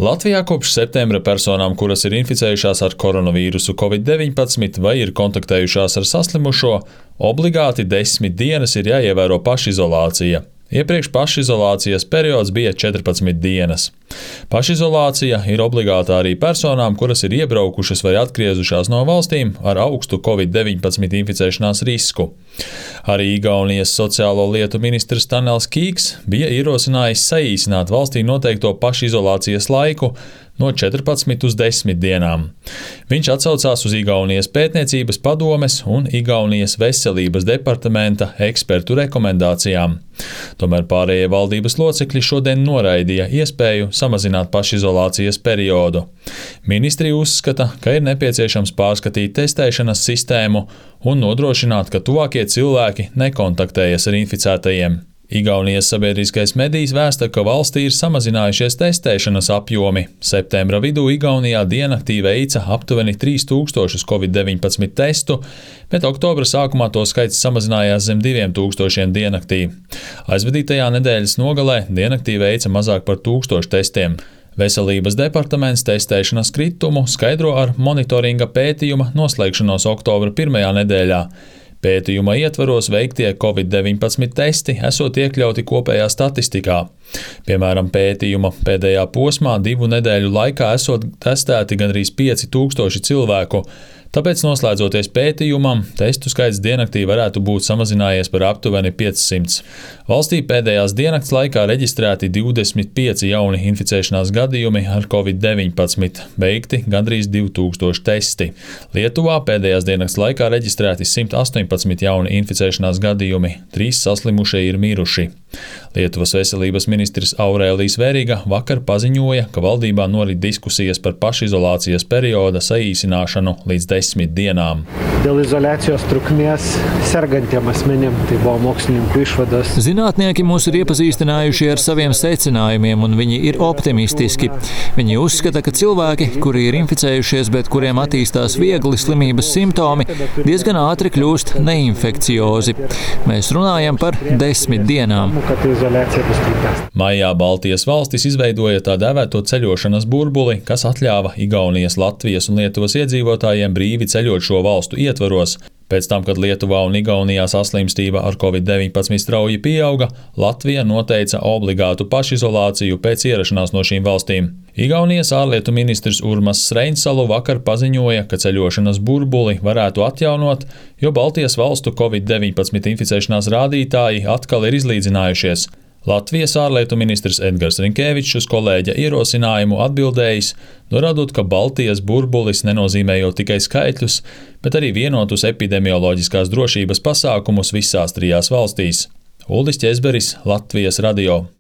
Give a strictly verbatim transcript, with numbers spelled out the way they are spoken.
Latvijā kopš septembra personām, kuras ir inficējušās ar koronavīrusu covid deviņpadsmit vai ir kontaktējušās ar saslimušo, obligāti desmit dienas ir jāievēro pašizolācija. Iepriekš pašizolācijas periods bija četrpadsmit dienas. Pašizolācija ir obligātā arī personām, kuras ir iebraukušas vai atgriezušās no valstīm ar augstu covid deviņpadsmit inficēšanās risku. Arī Igaunijas sociālo lietu ministrs Tanels Kīks bija ierosinājis saīsināt valstī noteikto pašizolācijas laiku no četrpadsmit uz desmit dienām. Viņš atsaucās uz Igaunijas pētniecības padomes un Igaunijas veselības departamenta ekspertu rekomendācijām. Tomēr pārējie valdības locekļi šodien noraidīja iespēju samazināt pašizolācijas periodu. Ministri uzskata, ka ir nepieciešams pārskatīt testēšanas sistēmu un nodrošināt, ka tuvākie cilvēki nekontaktējas ar inficētajiem. Igaunijas sabiedriskais medijs vēsta, ka valstī ir samazinājušies testēšanas apjomi. Septembra vidū Igaunijā diennaktī veica aptuveni trīs tūkstošus covid deviņpadsmit testu, bet oktobra sākumā to skaits samazinājās zem diviem tūkstošiem diennaktī. Aizvadītajā nedēļas nogalē diennaktī veica mazāk par tūkstošu testiem. Veselības departaments testēšanas kritumu skaidro ar monitoringa pētījuma noslēgšanos oktobra pirmajā nedēļā. Pētījuma ietvaros veiktie covid deviņpadsmit testi esot iekļauti kopējā statistikā. Piemēram, pētījuma pēdējā posmā divu nedēļu laikā esot testēti gandrīz pieci tūkstoši cilvēku. Tāpēc, noslēdzoties pētījumam, testu skaits diennaktī varētu būt samazinājies par aptuveni piecsimt. Valstī pēdējās diennakts laikā reģistrēti divdesmit pieci jauni inficēšanās gadījumi ar covid deviņpadsmit, veikti gandrīz divi tūkstoši testi. Lietuvā pēdējās diennakts laikā reģistrēti simt astoņpadsmit jauni inficēšanās gadījumi, trīs saslimušie ir miruši. Lietuvas veselības ministrs Aurēlijs Veriga vakar paziņoja, ka valdībā norit diskusijas par pašizolācijas perioda saīsināšanu līdz desmit dienām. Dėl izoliacijos trukmės sergantiem asmenim, tai buvo mokslininkų išvados. Zinātnieki mūs ir iepazīstinājuši ar saviem secinājumiem, un viņi ir optimistiski. Viņi uzskata, ka cilvēki, kuri ir inficējušies, bet kuriem attīstās viegli slimības simptomi, diezgan ātri kļūst neinfekciozi. Mēs runājam par desmit dienām. Maijā Baltijas valstis izveidoja tā dēvēto ceļošanas burbuli, kas atļāva Igaunijas, Latvijas un Lietuvas iedzīvotājiem brīvi ceļot šo valstu ietvaros. Pēc tam, kad Lietuvā un Igaunijā saslimstība ar covid deviņpadsmit strauji pieauga, Latvija noteica obligātu pašizolāciju pēc ierašanās no šīm valstīm. Igaunijas ārlietu ministrs Urmas Reinsalu vakar paziņoja, ka ceļošanas burbuli varētu atjaunot, jo Baltijas valstu covid deviņpadsmit inficēšanās rādītāji atkal ir izlīdzinājušies. Latvijas ārlietu ministrs Edgars Rinkēvičs uz kolēģa ierosinājumu atbildējis, norādot, ka Baltijas burbulis nenozīmējot tikai skaitļus, bet arī vienotus epidemioloģiskās drošības pasākumus visās trijās valstīs. Uldis Ķezberis, Latvijas radio.